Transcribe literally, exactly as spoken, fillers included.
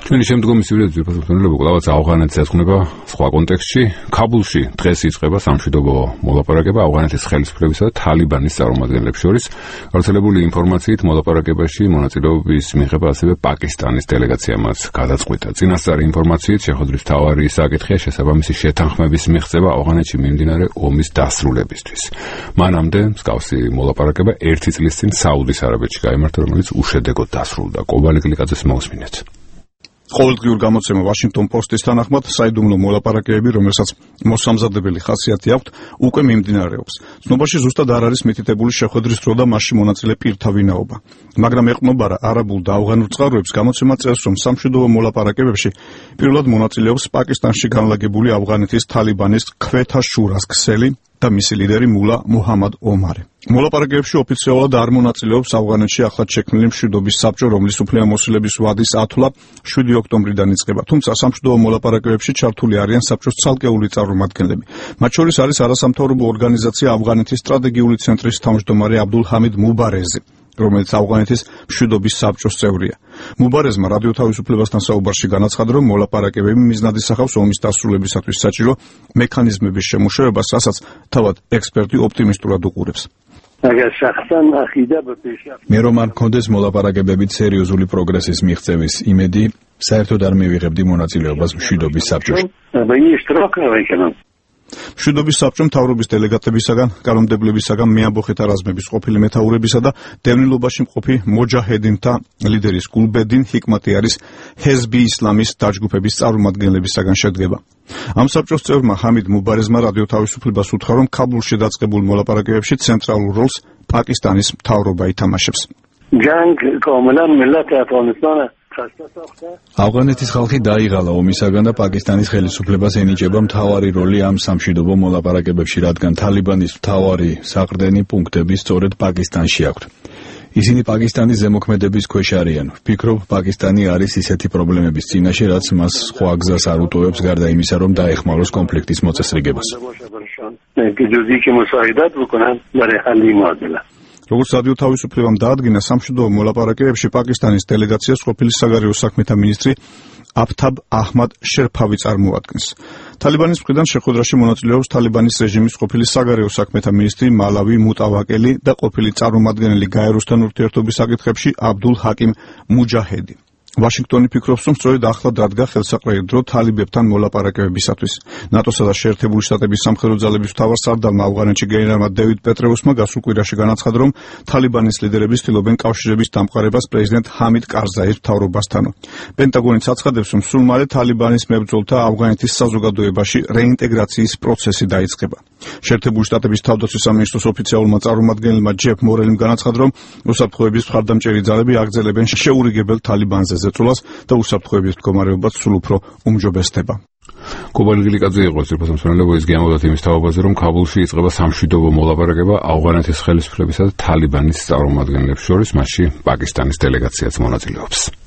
ჩვენი შემდგომი სიუჟეტი ძირფას მცდელობა კლავაც ავღანეთს ეძღვნება სხვა კონტექსტში. ქაბულში დღეს იწყება სამშვიდობო მოლაპარაკება ავღანეთის ხელისუფლებისა და თალიბანის წარმომადგენლებს შორის. გავრცელებული ინფორმაციით მოლაპარაკებაში მონაწილეობის მიღება ასევე პაკისტანის დელეგაციამაც გადაწყვიტა. წინასწარი ინფორმაციით შეხვედრის მთავარი საკითხია შესაბამისი შეთანხმების მიღწევა ავღანეთში მიმდინარე ომის დასრულებისთვის. მანამდე მსგავსი მოლაპარაკება ერთი წლის წინ საუდის არაბეთში გაიმართა, რომელიც უშედეგოდ დასრულდა. კობალი გლიკაძეს მოусმინეთ. ყოველდღიურ გამოცემა Washington Post-ის თანახმად საიდუმლო მოლაპარაკებები, რომელსაც მოსამზადებელი ხასიათი აქვთ, უკვე მიმდინარეობს. ცნობაში ზუსტად არ არის მითითებული შეხვედრის დრო და მასში მონაწილე პირთა ვინაობა. მაგრამ ეყრდნობა არაბულ და ავღანურ წყაროებს გამოცემა წერს, რომ სამშვიდობო მოლაპარაკებებში პირველად მონაწილეობს პაკისტანში განლაგებული ავღანეთის თალიბანის ქვეთა შურას ქსელი და მისი ლიდერი მულა მუჰამად ომარი. მოლაპარაკებებში ოფიციალურად არ მონაწილეობს ავღანეთში ახლად შექმნილი მშვიდობის საბჭო, რომლის უფლებამოსილების ვადის ათვლა შვიდი ოქტომბრიდან იწყება. თუმცა სამშვიდობო მოლაპარაკებებში ჩართული არიან საბჭოს ცალკეული წარმომადგენლები. მათ შორის არის არასამთავრობო ორგანიზაცია ავღანეთის სტრატეგიული ცენტრის თავმჯდომარე აბდულ ჰამიდ მუბარეზი, რომელიც ავღანეთის მშვიდობის საბჭოს წევრია. მუბარეზმა რადიო თავისუფლებასთან საუბარში განაცხადა, რომ მოლაპარაკებები მიზნად ისახავს ომის დასრულებისათვის საჭირო მექანიზმების შემუშავებას, რასაც თავად ექსპერტი ოპტიმისტურად უყურებს. მე რომ არ მქონდეს მოლაპარაკებებით სერიოზული პროგრესის მიღწევის იმედი, საერთოდ არ მივიღებდი მონაწილეობას მშვიდობის საბჭოში. მშვიდობის საბჭომ მთავრობის დელეგატებისაგან, კანონმდებლებისაგან, მეამბოხეთა რაზმების ყოფილი მეთაურებისა და დევნილობაში მყოფი მოჯაჰედინთა ლიდერის გულბედინ ჰიკმატი არის ჰეზბი ისლამის დაჯგუფების წარმომადგენლებისაგან შედგება. ამ საბჭოს წევრმა ჰამიდ მუბარეზმა რადიო თავისუფლებას უთხრა, რომ ქაბულში დაწყებულ მოლაპარაკებებში ცენტრალურ როლს პაკისტანის მთავრობა ითამაშებს. ავღანეთის ხალხი დაიღალა ომისაგან და პაკისტანის ხელისუფლებას ენიჭება მთავარი როლი ამ სამშვიდობო მოლაპარაკებებში, რადგან თალიბანის მთავარი საყრდენი პუნქტები სწორედ პაკისტანში აქვთ. ისინი პაკისტანის ზემოქმედების ქვეშ არიან. ვფიქრობ, პაკისტანი არის ისეთი პრობლემების წინაშე, რაც მას სხვა გზას არ უტოვებს, გარდა იმისა, რომ დაეხმაროს კონფლიქტის მოწესრიგებას. როგორც რადიო თავისუფლებამ დაადგინა, სამშვიდობო მოლაპარაკებებში პაკისტანის დელეგაციას ყოფილი საგარეო საქმეთა მინისტრი აფთაბ აჰმად შერფავი წარმოადგენს. თალიბანის მხრიდან შეხვედრაში მონაწილეობს თალიბანის რეჟიმის ყოფილი საგარეო საქმეთა მინისტრი მალავი მუტავაკელი და ყოფილი წარმომადგენელი გაეროსთან ურთიერთობის საკითხებში აბდულ ჰაკიმ მუჯაჰედი. ვაშინგტონი ფიქრობს, რომ სწორედ ახლა დადგა ხელსაყრელი დრო თალიბებთან მოლაპარაკებებისათვის. ნატოსა და შეერთებული შტატების სამხედრო ძალების მთავარსარდალმა ავღანეთში გენერალმა დევიდ პეტრეუსმა გასულ კვირაში განაცხადა, რომ თალიბანის ლიდერები ცდილობენ კავშირების დამყარებას პრეზიდენტ ჰამიდ კარზაის მთავრობასთანო. პენტაგონიც აცხადებს, რომ სულ მალე თალიბანის მებრძოლთა ავღანეთის საზოგადოებაში რეინტეგრაციის პროცესი დაიწყება. შეერთებული შტატების თავდაცვის სამინისტროს ოფიციალურმა წარმომადგენელმა ჯეფ მორელიმ განაცხადა, რომ უსაფრთხოების მხარდამჭერი ძალები აგრძელებენ შეურიგებელ თალიბანზე ზეწოლას და უსაფრთხოების მდგომარეობაც სულ უფრო უმჯობესდება. კობალი გლიკაძე იყო ძირფას მცდელობა, ის გამოდათ იმის თავობაზე, რომ ქაბულში იწყება სამშვიდობო მოლაპარაკება ავღანეთის ხელისუფლებისა და თალიბანის წარმომადგენლებს შორის, მასში პაკისტანის დელეგაციაც მონაწილეობს.